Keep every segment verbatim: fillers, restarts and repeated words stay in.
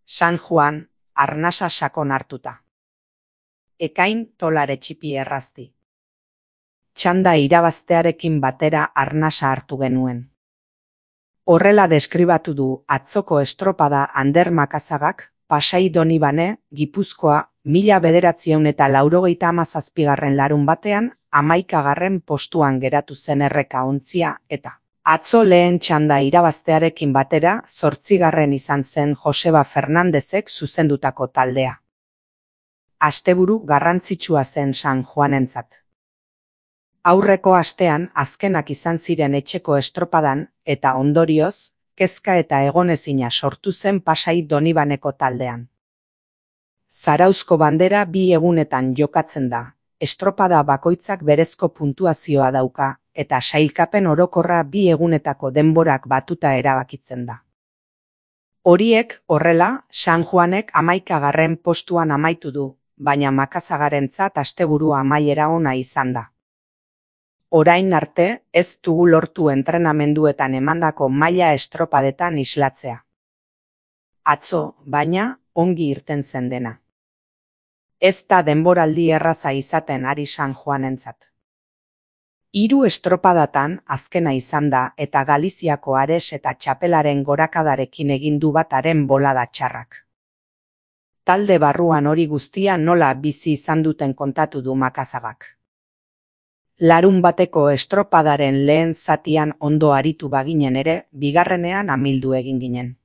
San Juan, arnasa sakon hartuta. Ekain tolare txipi errazti. Txanda irabaztearekin batera arnasa hartu genuen. Horrela deskribatu du atzoko estropada Ander Makazagak, Pasai Donibane, Gipuzkoa, mila bederatziehun eta laurogeita hamazazpigarren larun batean, hamaikagarren postuan geratu zen erreka ontzia, eta atzo lehen txanda irabaztearekin batera, zortzigarren izan zen Joseba Fernandezek zuzendutako taldea. Asteburu garrantzitsua zen San Juanentzat. Aurreko astean azkenak izan ziren etxeko estropadan, eta ondorioz, kezka eta egonezina sortu zen Pasai Donibaneko taldean. Zarauzko bandera bi egunetan jokatzen da, estropada bakoitzak berezko puntuazioa dauka, eta sailkapen orokorra bi egunetako denborak batuta erabakitzen da. Horiek, horrela, San Juanek hamaikagarren postuan amaitu du, baina Makazagarentzat asteburu amaiera ona izan da. Orain arte, ez dugu lortu entrenamenduetan emandako maila estropadetan islatzea. Atzo, baina, ongi irten zen dena. Ez da denboraldi erraza izaten ari San Juanentzat. Hiru estropadatan azkena izan da eta Galiziako Ares eta txapelaren gorakadarekin egin du bat haren bolada txarrak. Talde barruan hori guztia nola bizi izan duten kontatu du Makazagak. Larun bateko estropadaren lehen zatian ondo aritu baginen ere, bigarrenean amildu egin ginen.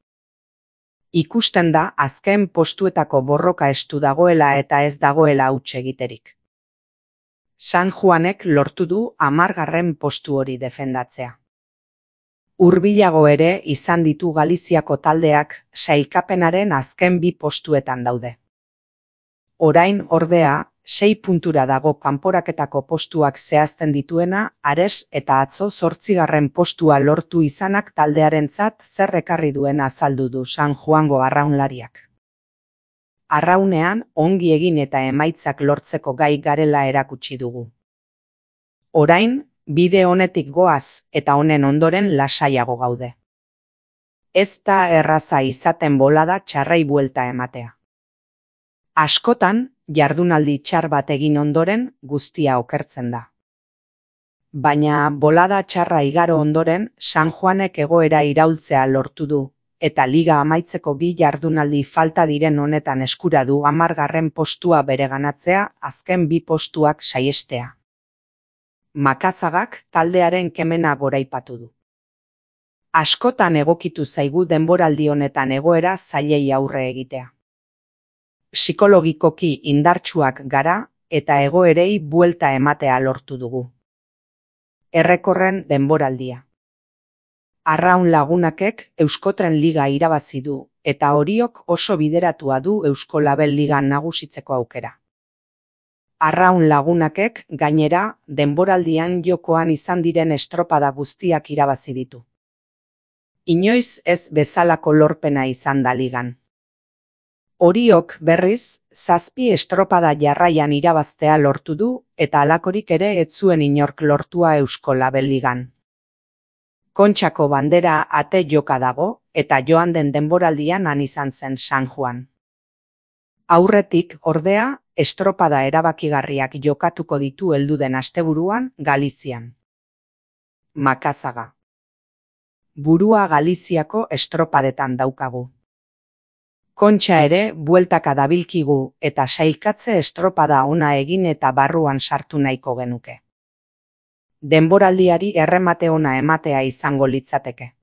Ikusten da azken postuetako borroka estu dagoela eta ez dagoela huts egiterik. San Juanek lortu du hamargarren postu hori defendatzea. Hurbilago ere izan ditu Galiziako taldeak sailkapenaren azken bi postuetan daude. Orain ordea, sei puntura dago kanporaketako postuak zehazten dituena, Ares eta atzo zortzigarren postua lortu izanak taldearentzat zer ekarri duen azaldu du San Juango arraunlariak. Arraunean ongi egin eta emaitzak lortzeko gai garela erakutsi dugu. Orain, bide honetik goaz eta honen ondoren lasaiago gaude. Ez da erraza izaten bolada txarrei buelta ematea. Askotan, jardunaldi txar bat egin ondoren guztia okertzen da. Baina bolada txarra igaro ondoren San Juanek egoera iraultzea lortu du, eta liga amaitzeko bi jardunaldi falta diren honetan eskura du hamargarren postua bereganatzea azken bi postuak saihestea. Makazagak taldearen kemena goraipatu du. Askotan egokitu zaigu denboraldi honetan egoera zailei aurre egitea. Psikologikoki indartsuak gara eta egoerei buelta ematea lortu dugu. Errekorren denboraldia. Arraun Lagunakek Euskotren Liga irabazi du eta Oriok oso bideratua du Eusko Label Ligan nagusitzeko aukera. Arraun Lagunakek gainera denboraldian jokoan izan diren estropada guztiak irabazi ditu. Inoiz ez bezalako lorpena izan da ligan. Oriok berriz, zazpi estropada jarraian irabaztea lortu du eta halakorik ere ez zuen inork lortua Eusko Label Ligan. Kontxako bandera ate joka dago eta joan den denboraldian han izan zen San Juan. Aurretik, ordea, estropada erabakigarriak jokatuko ditu helduden asteburuan Galizian. Makazaga. Burua Galiziako estropadetan daukagu. Kontxa ere bueltaka dabilkigu eta sailkatze estropada ona egin eta barruan sartu nahiko genuke. Denboraldiari erremate ona ematea izango litzateke.